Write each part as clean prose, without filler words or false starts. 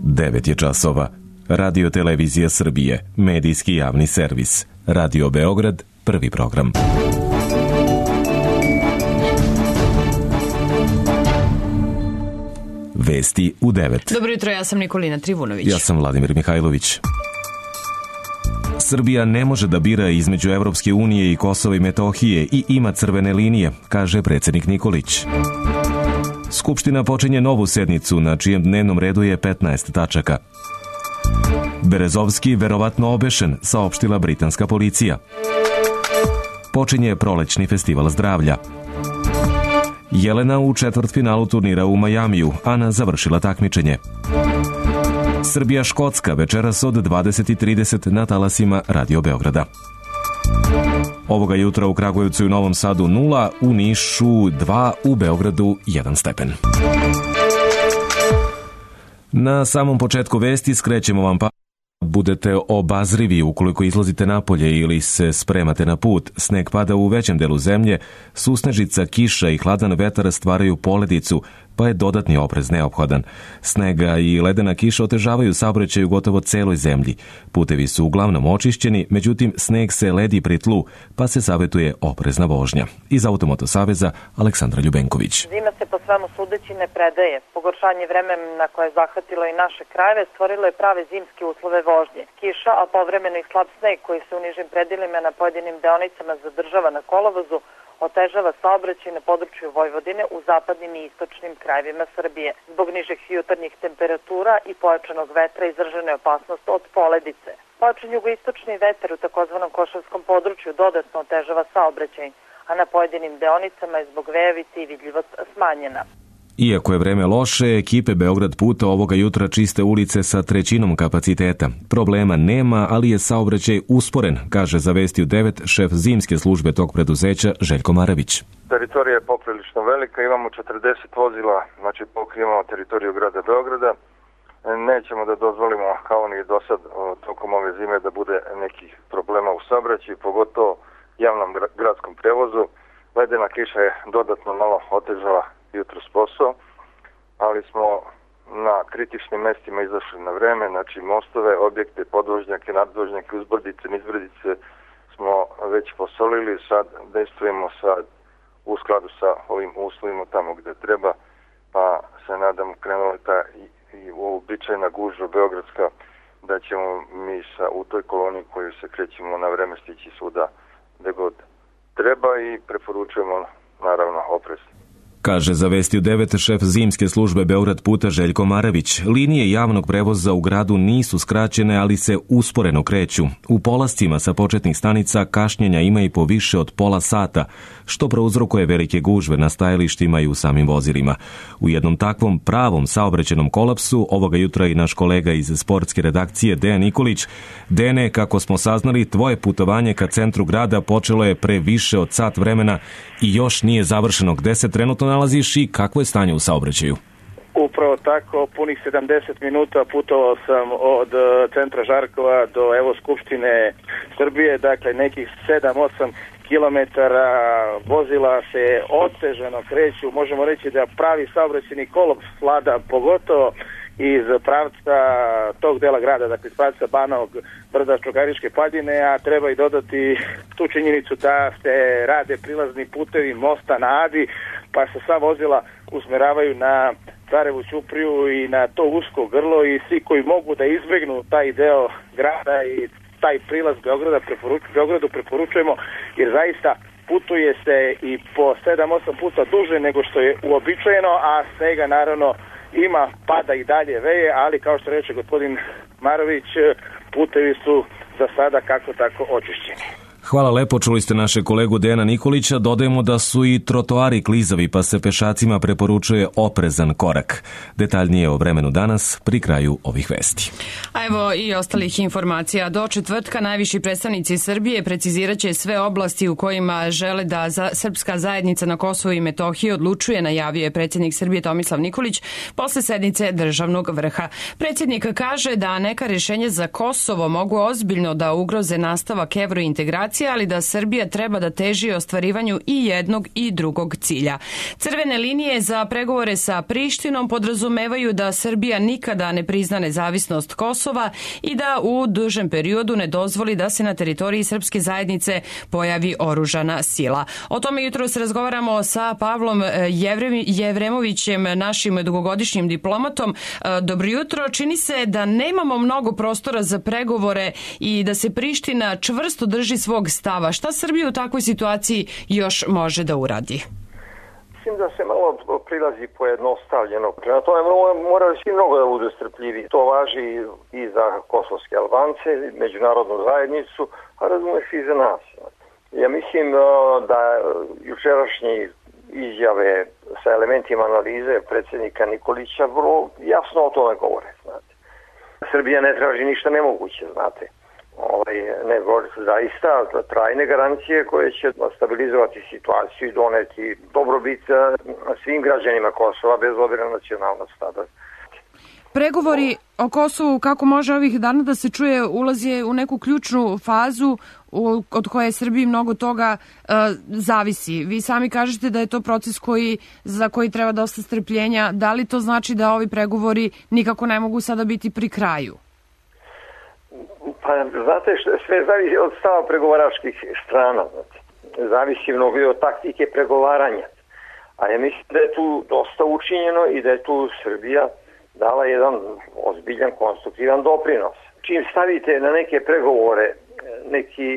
9 je časova. Radio Televizija Srbije, medijski javni servis. Radio Beograd, prvi program. Vesti u 9. Dobro jutro, ja sam Nikolina Trivunović. Ja sam Vladimir Mihajlović. Srbija ne može da bira između Evropske unije i Kosova i Metohije i ima crvene linije, kaže predsjednik Nikolić. Skupština počinje novu sednicu na čijem dnevnom redu je 15 tačaka. Berezovski verovatno obešen, saopštila britanska policija. Počinje prolećni festival zdravlja. Jelena u četvrtfinalu turnira u Majamiju, Ana završila takmičenje. Srbija-Škotska večeras od 20:30 na talasima Radio Beograda. Ovoga jutra u Kragujevcu i Novom Sadu 0, u Nišu 2, u Beogradu 1 stepen. Na samom početku vesti skrećemo vam budete obazrivi ukoliko izlazite napolje ili se spremate na put. Sneg pada u većem delu zemlje, susnežica, kiša i hladan vetar stvaraju poledicu, pa je dodatni oprez neophodan. Snega i ledena kiša otežavaju saobraćaj u gotovo celoj zemlji. Putevi su uglavnom očišćeni, međutim sneg se ledi pri tlu, pa se savjetuje oprezna vožnja. Iz Automoto saveza Aleksandra Ljubenković. Zima se po svemu sudeći ne predaje. Pogoršanje vremena koje je zahvatilo i naše krajeve stvorilo je prave zimske uslove vožnje. Kiša, a povremeno i slab sneg koji se u nižim predjelima na pojedinim deonicama zadržava na kolovozu, otežava saobraćaj na području Vojvodine u zapadnim i istočnim krajevima Srbije. Zbog nižih jutarnjih temperatura i pojačanog vetra izražena je opasnost od poledice. Pojačan jugoistočni vetar u takozvanom Košavskom području dodatno otežava saobraćaj, a na pojedinim deonicama je zbog vejavice i vidljivost smanjena. Iako je vreme loše, ekipe Beograd puta ovoga jutra čiste ulice sa 1/3 kapaciteta. Problema nema, ali je saobraćaj usporen, kaže za Vesti u 9 šef zimske službe tog preduzeća Željko Maravić. Teritorija je poprilično velika, imamo 40 vozila, znači pokrivamo teritoriju grada Beograda. Nećemo da dozvolimo, kao ni do sad, tokom ove zime da bude nekih problema u saobraćaju, pogotovo javnom gradskom prevozu. Ledena kiša je dodatno malo otežala jutros posao, ali smo na kritičnim mestima izašli na vreme, znači mostove, objekte, podvožnjake, nadvožnjake, uzbrdice, nizbrdice smo već posolili, sad dejstvujemo sad u skladu sa ovim uslovima tamo gde treba, pa se nadam krenula ta i uobičajena gužva beogradska, da ćemo mi u toj koloni koju se krećemo na vreme stići svuda gde god treba i preporučujemo naravno oprez. Kaže za Vesti u 9 šef zimske službe Beograd puta Željko Maravić. Linije javnog prevoza u gradu nisu skraćene, ali se usporeno kreću. U polascima sa početnih stanica kašnjenja ima i po više od pola sata, što prouzrokuje velike gužve na stajalištima i u samim vozilima. U jednom takvom pravom saobraćajnom kolapsu ovoga jutra i naš kolega iz sportske redakcije Dejan Nikolić. Dene, kako smo saznali, tvoje putovanje ka centru grada počelo je pre više od sat vremena i još nije završeno. Gde se trenutno nalaziš i kakvo je stanje u saobraćaju? Upravo tako, punih 70 minuta putovao sam od centra Žarkova do Skupštine Srbije, dakle nekih 7-8 kilometara, vozila se otežano kreću, možemo reći da pravi saobraćajni kolaps vlada, pogotovo iz pravca tog dela grada, dakle iz pravca Banovog brda, Čukaričke padine, a treba i dodati tu činjenicu da se rade prilazni putevi mosta na Adi, pa se sva vozila usmeravaju na Carevu Ćupriju i na to usko grlo i svi koji mogu da izbegnu taj deo grada i taj prilaz Beogradu preporučujemo, jer zaista putuje se i po 7-8 puta duže nego što je uobičajeno, a svega naravno ima, pada i dalje veje, ali kao što reče gospodin Marović, putevi su za sada kako tako očišćeni. Hvala lepo, čuli ste naše kolegu Dejana Nikolića. Dodajemo da su i trotoari klizavi, pa se pešacima preporučuje oprezan korak. Detaljnije o vremenu danas pri kraju ovih vesti. A evo i ostalih informacija. Do četvrtka najviši predstavnici Srbije preciziraće sve oblasti u kojima žele da srpska zajednica na Kosovu i Metohiji odlučuje, najavio je predsjednik Srbije Tomislav Nikolić posle sednice državnog vrha. Predsjednik kaže da neka rješenja za Kosovo mogu ozbiljno da ugroze nastavak evrointegracije situacija, ali da Srbija treba da teži ostvarivanju i jednog i drugog cilja. Crvene linije za pregovore sa Prištinom podrazumevaju da Srbija nikada ne prizna nezavisnost Kosova i da u dužem periodu ne dozvoli da se na teritoriji srpske zajednice pojavi oružana sila. O tome jutros razgovaramo sa Pavlom Jevremovićem, našim dugogodišnjim diplomatom. Dobro jutro. Čini se da nemamo mnogo prostora za pregovore i da se Priština čvrsto drži svog stava. Šta Srbija u takvoj situaciji još može da uradi? Mislim da se malo prilazi pojednostavljeno. Prema tome moraju svi mnogo da budu strpljivi. To važi i za kosovske Albance, međunarodnu zajednicu, a razumeš i za nas. Ja mislim da jučerašnji izjave sa elementima analize predsjednika Nikolića vrlo jasno o tome govore. Znate. Srbija ne traži ništa nemoguće, znate. Nego zaista trajne garancije koje će stabilizovati situaciju i doneti dobrobit svim građanima Kosova bez obzira na nacionalnost. Pregovori o Kosovu, kako može ovih dana da se čuje, ulazi u neku ključnu fazu od koje Srbiji mnogo toga zavisi. Vi sami kažete da je to proces za koji treba dosta strpljenja. Da li to znači da ovi pregovori nikako ne mogu sada biti pri kraju? Pa, znate, sve zavisi od stava pregovaračkih strana. Zavisi mnogo i od taktike pregovaranja. A ja mislim da je tu dosta učinjeno i da je tu Srbija dala jedan ozbiljan, konstruktivan doprinos. Čim stavite na neke pregovore neki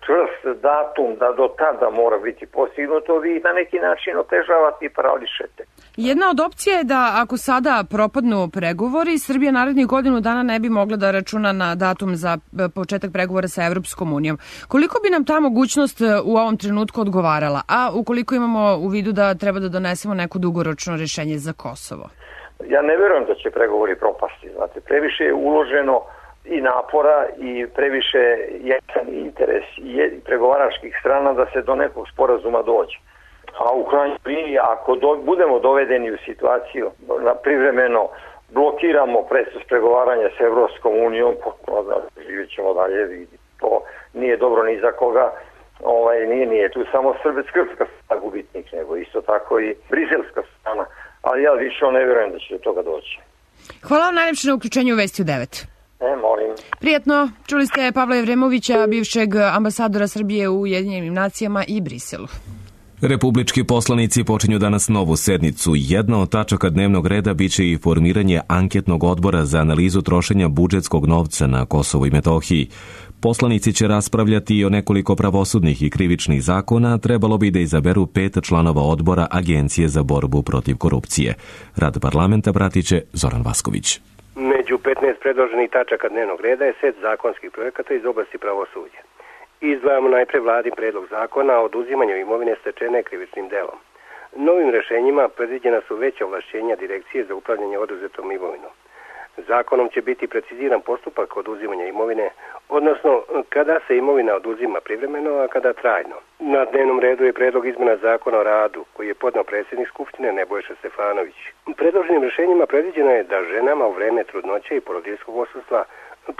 čvrst datum da do tada mora biti postignuto, vi na neki način otežavate i parališete. Jedna od opcija je da ako sada propadnu pregovori, Srbija narednih godinu dana ne bi mogla da računa na datum za početak pregovora sa Evropskom unijom. Koliko bi nam ta mogućnost u ovom trenutku odgovarala? A ukoliko imamo u vidu da treba da donesemo neko dugoročno rešenje za Kosovo? Ja ne verujem da će pregovori propasti. Znate, previše je uloženo i napora i previše jasan interes i pregovaračkih strana da se do nekog sporazuma dođe. A u krajnjoj liniji, ako budemo dovedeni u situaciju da privremeno blokiramo proces pregovaranja s Evropskom unijom, živjet ćemo dalje, to nije dobro ni za koga. Nije tu samo srpska strana gubitnik, nego isto tako i briselska strana. Ali ja više ne vjerujem da će do toga doći. Hvala vam najljepše na uključenju u Vesti u 9. Molim. Prijatno. Čuli ste Pavla Jevremovića, bivšeg ambasadora Srbije u Ujedinjenim nacijama i Briselu. Republički poslanici počinju danas novu sednicu. Jedna od tačaka dnevnog reda biće i formiranje anketnog odbora za analizu trošenja budžetskog novca na Kosovu i Metohiji. Poslanici će raspravljati i o nekoliko pravosudnih i krivičnih zakona, trebalo bi da izaberu 5 članova odbora Agencije za borbu protiv korupcije. Rad parlamenta pratit će Zoran Vasković. Među 15 predloženih tačaka dnevnog reda je set zakonskih projekata iz oblasti pravosuđa. Izdvajamo najpre vladin predlog zakona o oduzimanju imovine stečene krivičnim delom. Novim rešenjima predviđena su veća ovlašćenja Direkcije za upravljanje oduzetom imovinom. Zakonom će biti preciziran postupak oduzimanja imovine, odnosno kada se imovina oduzima privremeno, a kada trajno. Na dnevnom redu je predlog izmena zakona o radu, koji je podneo predsjednik Skupštine Nebojša Stefanović. Predloženim rešenjima predviđeno je da ženama u vreme trudnoće i porodiljskog odsustva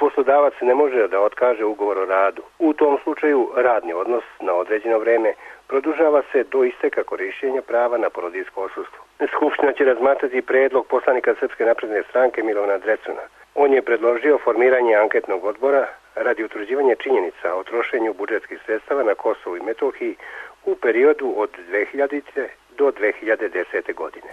poslodavac ne može da otkaže ugovor o radu. U tom slučaju radni odnos na određeno vreme produžava se do isteka korišćenja prava na porodiljsko odsustvo. Skupština će razmatrati predlog poslanika Srpske napredne stranke Milovana Drecuna. On je predložio formiranje anketnog odbora radi utvrđivanja činjenica o trošenju budžetskih sredstava na Kosovu i Metohiji u periodu od 2000. do 2010. godine.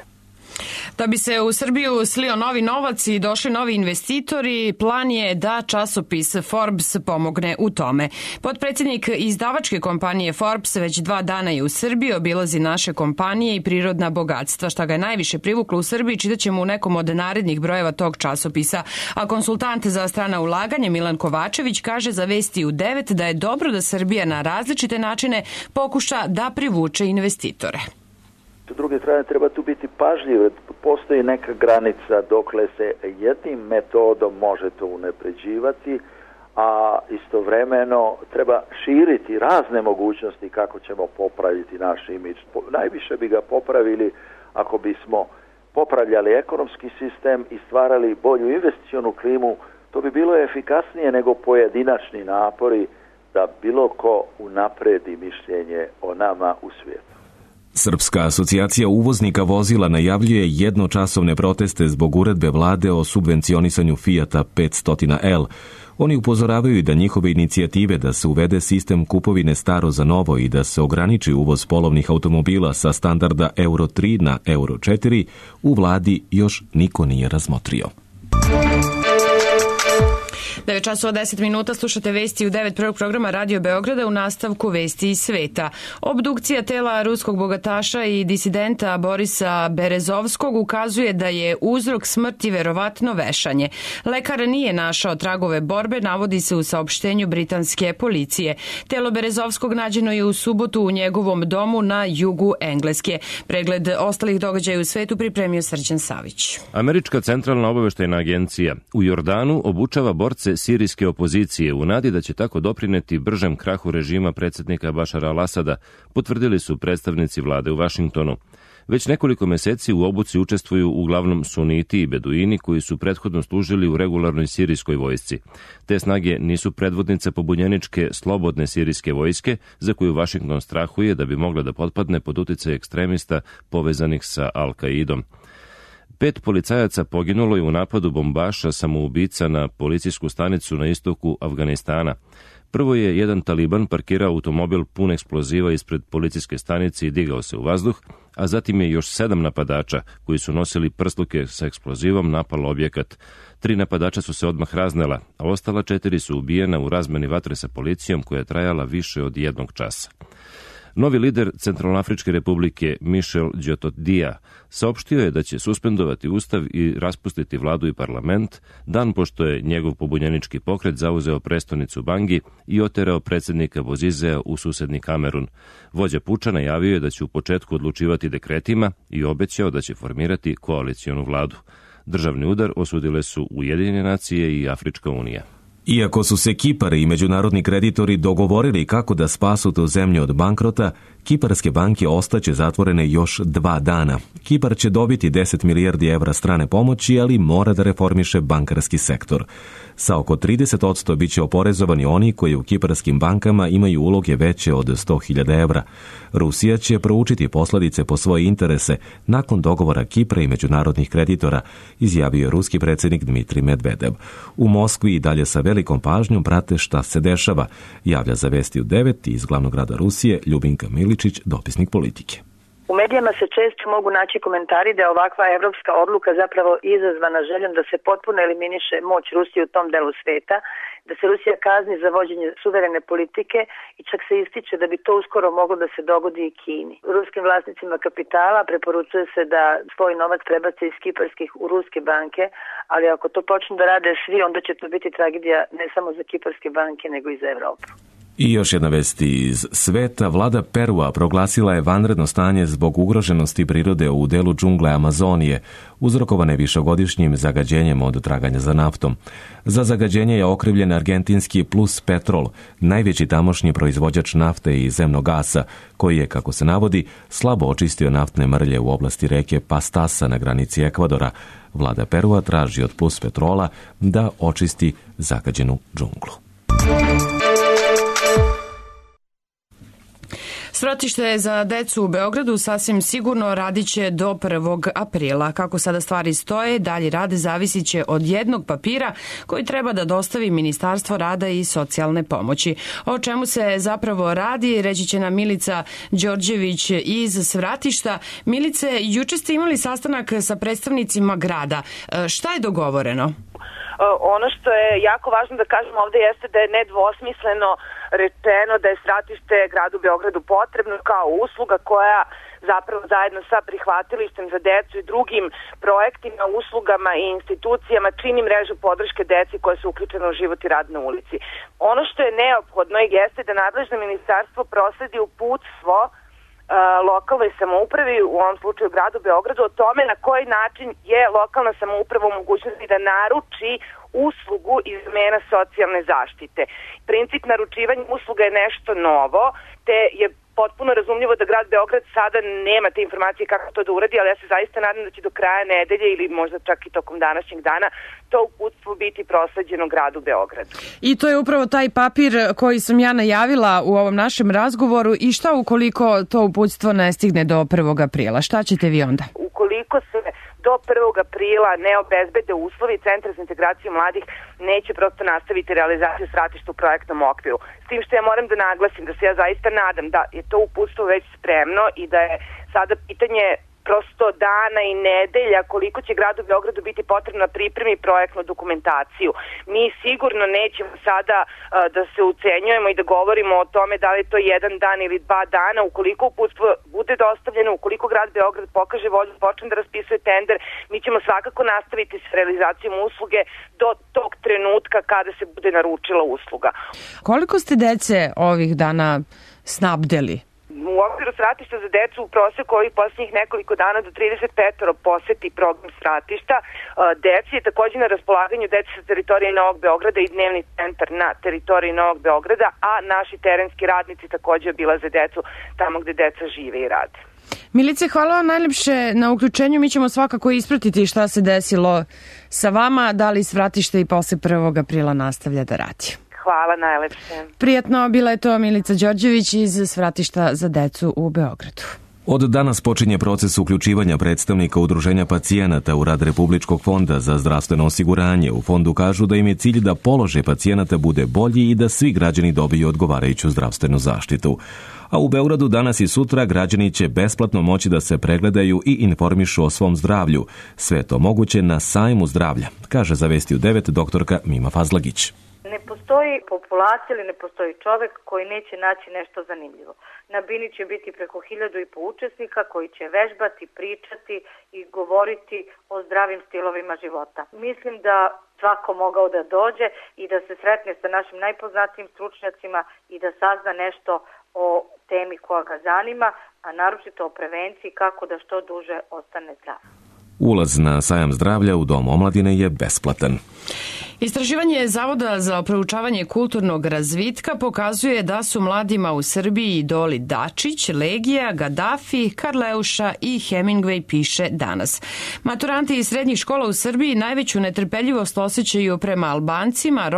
Da bi se u Srbiju slio novi novac i došli novi investitori, plan je da časopis Forbes pomogne u tome. Potpredsjednik izdavačke kompanije Forbes već 2 dana je u Srbiji, obilazi naše kompanije i prirodna bogatstva. Šta ga je najviše privuklo u Srbiji, čitaćemo u nekom od narednih brojeva tog časopisa. A konsultant za strana ulaganje Milan Kovačević kaže za Vesti u 9 da je dobro da Srbija na različite načine pokuša da privuče investitore. S druge strane, treba tu biti pažljiv. Postoji neka granica dokle se jednim metodom može to unapređivati, a istovremeno treba širiti razne mogućnosti kako ćemo popraviti naš imidž. Najviše bi ga popravili ako bismo popravljali ekonomski sistem i stvarali bolju investicionu klimu. To bi bilo efikasnije nego pojedinačni napori da bilo ko unapredi mišljenje o nama u svijetu. Srpska asocijacija uvoznika vozila najavljuje jednočasovne proteste zbog uredbe vlade o subvencionisanju Fijata 500L. Oni upozoravaju da njihove inicijative da se uvede sistem kupovine staro za novo i da se ograniči uvoz polovnih automobila sa standarda Euro 3 na Euro 4 u vladi još niko nije razmotrio. 9 časova 10 minuta, slušate vesti u 9 prvog programa Radio Beograda, u nastavku vesti iz sveta. Obdukcija tela ruskog bogataša i disidenta Borisa Berezovskog ukazuje da je uzrok smrti verovatno vešanje. Lekar nije našao tragove borbe, navodi se u saopštenju britanske policije. Telo Berezovskog nađeno je u subotu u njegovom domu na jugu Engleske. Pregled ostalih događaja u svetu pripremio Srđan Savić. Američka centralna obaveštajna agencija u Jordanu obučava borce sirijske opozicije u nadi da će tako doprineti bržem krahu režima predsjednika Bašara al-Asada, potvrdili su predstavnici vlade u Vašingtonu. Već nekoliko meseci u obuci učestvuju uglavnom suniti i beduini koji su prethodno služili u regularnoj sirijskoj vojsci. Te snage nisu predvodnice pobunjeničke slobodne sirijske vojske za koju Vašington strahuje da bi mogla da potpadne pod uticaj ekstremista povezanih sa Al-Kaidom. 5 policajaca poginulo je u napadu bombaša samoubica na policijsku stanicu na istoku Afganistana. Prvo je jedan taliban parkirao automobil pun eksploziva ispred policijske stanice i digao se u vazduh, a zatim je još 7 napadača koji su nosili prsluke sa eksplozivom napalo objekat. 3 napadača su se odmah raznela, a ostala 4 su ubijena u razmeni vatre sa policijom koja je trajala više od 1 časa. Novi lider Centralnoafričke republike Michel Djotodia saopštio je da će suspendovati ustav i raspustiti vladu i parlament dan pošto je njegov pobunjenički pokret zauzeo prestonicu Bangi i oterao predsjednika Bozizea u susedni Kamerun. Vođa puča najavio je da će u početku odlučivati dekretima i obećao da će formirati koalicionu vladu. Državni udar osudile su Ujedinjene nacije i Afrička unija. Iako su se Kipar i međunarodni kreditori dogovorili kako da spasu tu zemlju od bankrota, kiparske banke ostaće zatvorene još 2 dana. Kipar će dobiti 10 milijardi evra strane pomoći, ali mora da reformiše bankarski sektor. Sa oko 30% bit će oporezovani oni koji u kiparskim bankama imaju uloge veće od 100.000 evra. Rusija će proučiti posljedice po svoje interese nakon dogovora Kipra i međunarodnih kreditora, izjavio je ruski predsjednik Dmitrij Medvedev. U Moskvi i dalje sa velikom pažnjom prate šta se dešava, javlja za vesti u 9 iz glavnog grada Rusije Ljubinka Miličić, dopisnik Politike. U medijama se često mogu naći komentari da je ovakva evropska odluka zapravo izazvana željom da se potpuno eliminiše moć Rusije u tom delu sveta, da se Rusija kazni za vođenje suverene politike i čak se ističe da bi to uskoro moglo da se dogodi i Kini. Ruskim vlasnicima kapitala preporučuje se da svoj novac prebace iz kiparskih u ruske banke, ali ako to počnu da rade svi, onda će to biti tragedija ne samo za kiparske banke, nego i za Evropu. I još jedna vest iz sveta. Vlada Perua proglasila je vanredno stanje zbog ugroženosti prirode u delu džungle Amazonije, uzrokovane višegodišnjim zagađenjem od traganja za naftom. Za zagađenje je okrivljen argentinski Plus Petrol, najveći tamošnji proizvođač nafte i zemnog gasa, koji je, kako se navodi, slabo očistio naftne mrlje u oblasti reke Pastasa na granici Ekvadora. Vlada Perua traži od Plus Petrola da očisti zagađenu džunglu. Svratište za decu u Beogradu sasvim sigurno radit će do 1. aprila. Kako sada stvari stoje, dalji rad zavisit će od jednog papira koji treba da dostavi Ministarstvo rada i socijalne pomoći. O čemu se zapravo radi, reći će nam Milica Đorđević iz Svratišta. Milice, juče ste imali sastanak sa predstavnicima grada. Šta je dogovoreno? Ono što je jako važno da kažemo ovde jeste da je nedvosmisleno rečeno da je Svratište gradu Beogradu potrebno kao usluga koja zapravo zajedno sa prihvatilištem za decu i drugim projektima, uslugama i institucijama čini mrežu podrške deci koje su uključene u život i rad na ulici. Ono što je neophodno jeste da nadležno ministarstvo prosledi uputstvo lokalnoj samoupravi, u ovom slučaju gradu Beogradu, o tome na koji način je lokalna samouprava u mogućnosti da naruči uslugu iz domena socijalne zaštite. Princip naručivanja usluga je nešto novo, te je potpuno razumljivo da grad Beograd sada nema te informacije kako to da uradi, ali ja se zaista nadam da će do kraja nedelje ili možda čak i tokom današnjeg dana to uputstvo biti prosleđeno gradu Beogradu. I to je upravo taj papir koji sam ja najavila u ovom našem razgovoru. I šta ukoliko to uputstvo ne stigne do 1. aprila? Šta ćete vi onda? Ukoliko se do 1. aprila ne obezbede uslovi, Centar za integraciju mladih neće prosto nastaviti realizaciju svratišta u projektnom okviru. S tim što ja moram da naglasim da se ja zaista nadam da je to uputstvo već spremno i da je sada pitanje prosto dana i nedelja koliko će gradu Beogradu biti potrebno da pripremi projektnu dokumentaciju. Mi sigurno nećemo sada da se ucenjujemo i da govorimo o tome da li je to 1 dan ili 2 dana. Ukoliko uputstvo bude dostavljeno, ukoliko grad Beograd pokaže volju, počne da raspisuje tender, mi ćemo svakako nastaviti s realizacijom usluge do tog trenutka kada se bude naručila usluga. Koliko ste dece ovih dana snabdeli? U okviru svratišta za decu u proseku ovih posljednjih nekoliko dana do 35 poseti program svratišta. Deci je također na raspolaganju deci sa teritorije Novog Beograda i dnevni centar na teritoriji Novog Beograda, a naši terenski radnici također obilaze decu tamo gde deca žive i rade. Milice, hvala vam najljepše na uključenju. Mi ćemo svakako ispratiti šta se desilo sa vama, da li svratište i posle 1. aprila nastavlja da radi. Hvala najlepše. Prijatno, bila je to Milica Đorđević iz Svratišta za decu u Beogradu. Od danas počinje proces uključivanja predstavnika Udruženja pacijenata u rad Republičkog fonda za zdravstveno osiguranje. U fondu kažu da im je cilj da položaj pacijenata bude bolji i da svi građani dobiju odgovarajuću zdravstvenu zaštitu. A u Beogradu danas i sutra građani će besplatno moći da se pregledaju i informišu o svom zdravlju. Sve to moguće na sajmu zdravlja, kaže za Vesti u 9 doktorka Mima Fazlagić. Ne postoji populacija ili ne postoji čovek koji neće naći nešto zanimljivo. Na Bini će biti preko 1500 učesnika koji će vežbati, pričati i govoriti o zdravim stilovima života. Mislim da svako mogao da dođe i da se sretne sa našim najpoznatijim stručnjacima i da sazna nešto o temi koja ga zanima, a naročito o prevenciji kako da što duže ostane zdrav. Ulaz na sajam zdravlja u Dom omladine je besplatan. Istraživanje Zavoda za proučavanje kulturnog razvitka pokazuje da su mladima u Srbiji idoli Dačić, Legija, Gaddafi, Karleuša i Hemingway, piše danas. Maturanti iz srednjih škola u Srbiji najveću netrpeljivost osjećaju prema Albancima,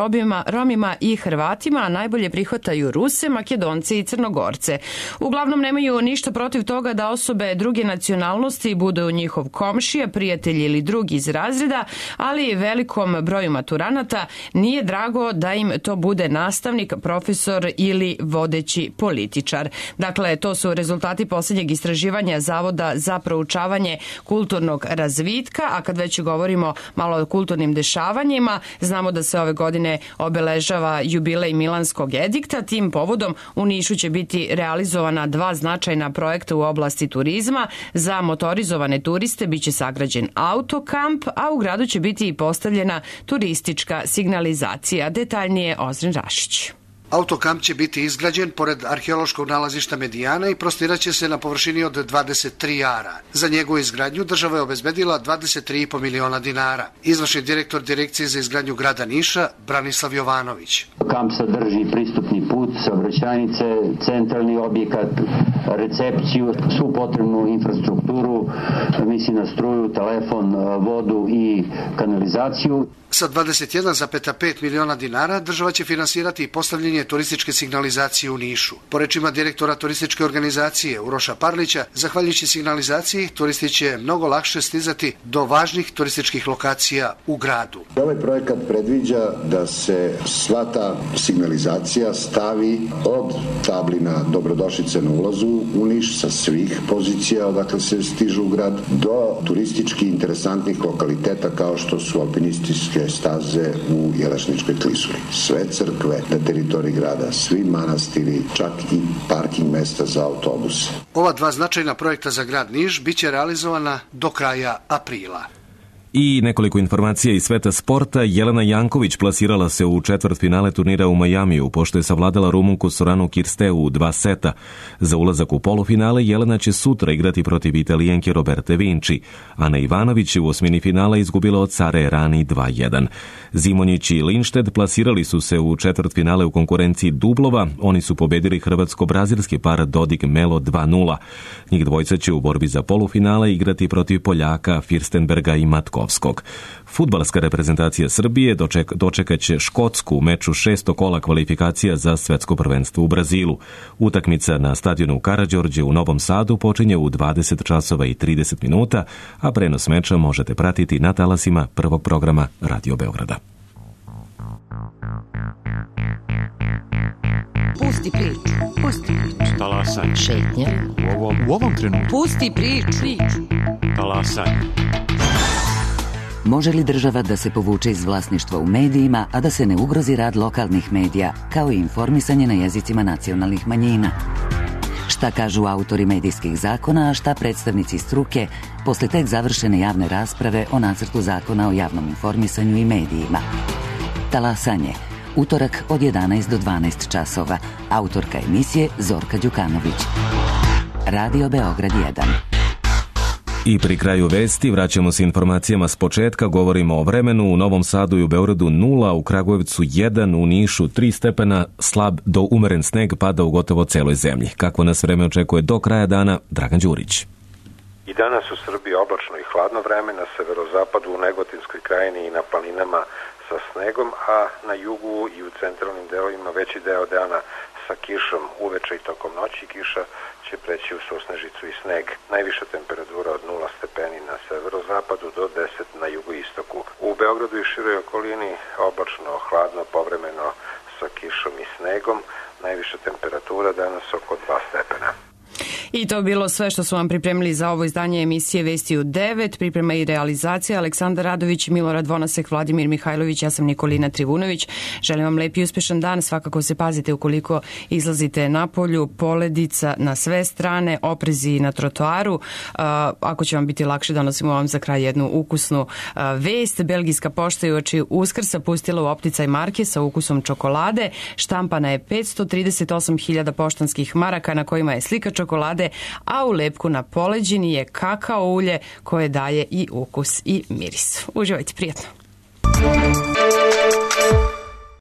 Romima i Hrvatima, a najbolje prihvataju Ruse, Makedonce i Crnogorce. Uglavnom nemaju ništa protiv toga da osobe druge nacionalnosti budu njihov komšija, prijatelj ili drugi iz razreda, ali velikom broju maturanata nije drago da im to bude nastavnik, profesor ili vodeći političar. Dakle, to su rezultati posljednjeg istraživanja Zavoda za proučavanje kulturnog razvitka, a kad već govorimo malo o kulturnim dešavanjima, znamo da se ove godine obeležava jubilej Milanskog edikta. Tim povodom u Nišu će biti realizovana 2 značajna projekta u oblasti turizma. Za motorizovane turiste biće sagrađen autokamp, a u gradu će biti i postavljena turistička signalizacija. Detaljnije Ozren Rašić. Autokamp će biti izgrađen pored arheološkog nalazišta Medijana i prostiraće se na površini od 23 ara. Za njegovu izgradnju država je obezbedila 23,5 miliona dinara. Izvršni direktor Direkcije za izgradnju grada Niša, Branislav Jovanović. Kamp sadrži pristupni put, saobraćajnice, centralni objekat, recepciju, svu potrebnu infrastrukturu, misli na struju, telefon, vodu i kanalizaciju. Sa 21,5 miliona dinara država će finansirati i postavljanje turističke signalizacije u Nišu. Po rečima direktora turističke organizacije Uroša Parlića, zahvaljujući signalizaciji, turisti će mnogo lakše stizati do važnih turističkih lokacija u gradu. Ovaj projekat predviđa da se sva ta signalizacija stavi od tablina dobrodošlice na ulazu u Niš sa svih pozicija odakle se stižu u grad do turistički interesantnih lokaliteta kao što su alpinističke staze u Jelašničkoj klisuri. Sve crkve na teritoriji grada, svi manastiri, čak i parking mesta za autobuse. Ova 2 značajna projekta za grad Niš biće realizovana do kraja aprila. I nekoliko informacija iz sveta sporta. Jelena Janković plasirala se u četvrtfinale turnira u Majamiju, pošto je savladala Rumunku Soranu Kirsteu u 2 seta. Za ulazak u polufinale Jelena će sutra igrati protiv Italijenke Roberte Vinci. Ana Ivanović je u osmini finala izgubila od Sare Errani 2-1. Zimonjić i Linšted plasirali su se u četvrtfinale u konkurenciji dublova. Oni su pobedili hrvatsko-brazilski par Dodig Melo 2-0. Njih dvojca će u borbi za polufinale igrati protiv Poljaka Firstenberga i Matkovskog. Fudbalska reprezentacija Srbije dočekat će Škotsku u meču 6. kola kvalifikacija za svetsko prvenstvo u Brazilu. Utakmica na stadionu Karađorđe u Novom Sadu počinje u 20 časova i 30 minuta, a prenos meča možete pratiti na talasima prvog programa Radio Beograda. Pusti priču. Talasaj. Šetnja. U ovom trenutku. Pusti priču. Talasaj. Može li država da se povuče iz vlasništva u medijima, a da se ne ugrozi rad lokalnih medija, kao i informisanje na jezicima nacionalnih manjina? Šta kažu autori medijskih zakona, a šta predstavnici struke posle tek završene javne rasprave o nacrtu zakona o javnom informisanju i medijima? Talasanje. Utorak od 11 do 12 časova. Autorka emisije Zorka Đukanović. Radio Beograd 1. I pri kraju vesti vraćamo se informacijama s početka. Govorimo o vremenu. U Novom Sadu i u Beogradu 0, u Kragujevcu 1, u Nišu 3 stepena, slab do umeren sneg pada u gotovo celoj zemlji. Kako nas vreme očekuje do kraja dana, Dragan Đurić. I danas u Srbiji oblačno i hladno vreme, na severozapadu, u Negotinskoj krajini i na planinama sa snegom, a na jugu i u centralnim delovima veći deo dana sa kišom uveče i tokom noći. Kiša će preći u susnežicu i sneg. Najviša temperatura od 0 stepeni na severozapadu do 10 na jugoistoku. U Beogradu i široj okolini oblačno, hladno, povremeno sa kišom i snegom. Najviša temperatura danas oko 2 stepena. I to bilo sve što su vam pripremili za ovo izdanje emisije Vesti u 9. Priprema i realizacija Aleksandar Radović, Milorad Vonasek, Vladimir Mihajlović, ja sam Nikolina Trivunović. Želim vam lep i uspešan dan. Svakako se pazite ukoliko izlazite napolju, poledica na sve strane, oprezi na trotoaru. Ako će vam biti lakše, donosimo vam za kraj jednu ukusnu vest. Belgijska pošta je uoči Uskrsa pustila u opticaj marke sa ukusom čokolade. Štampana je 538.000 poštanskih maraka na kojima je slika čokolade, a u lepku na poleđini je kakao ulje koje daje i ukus i miris. Uživajte, prijatno.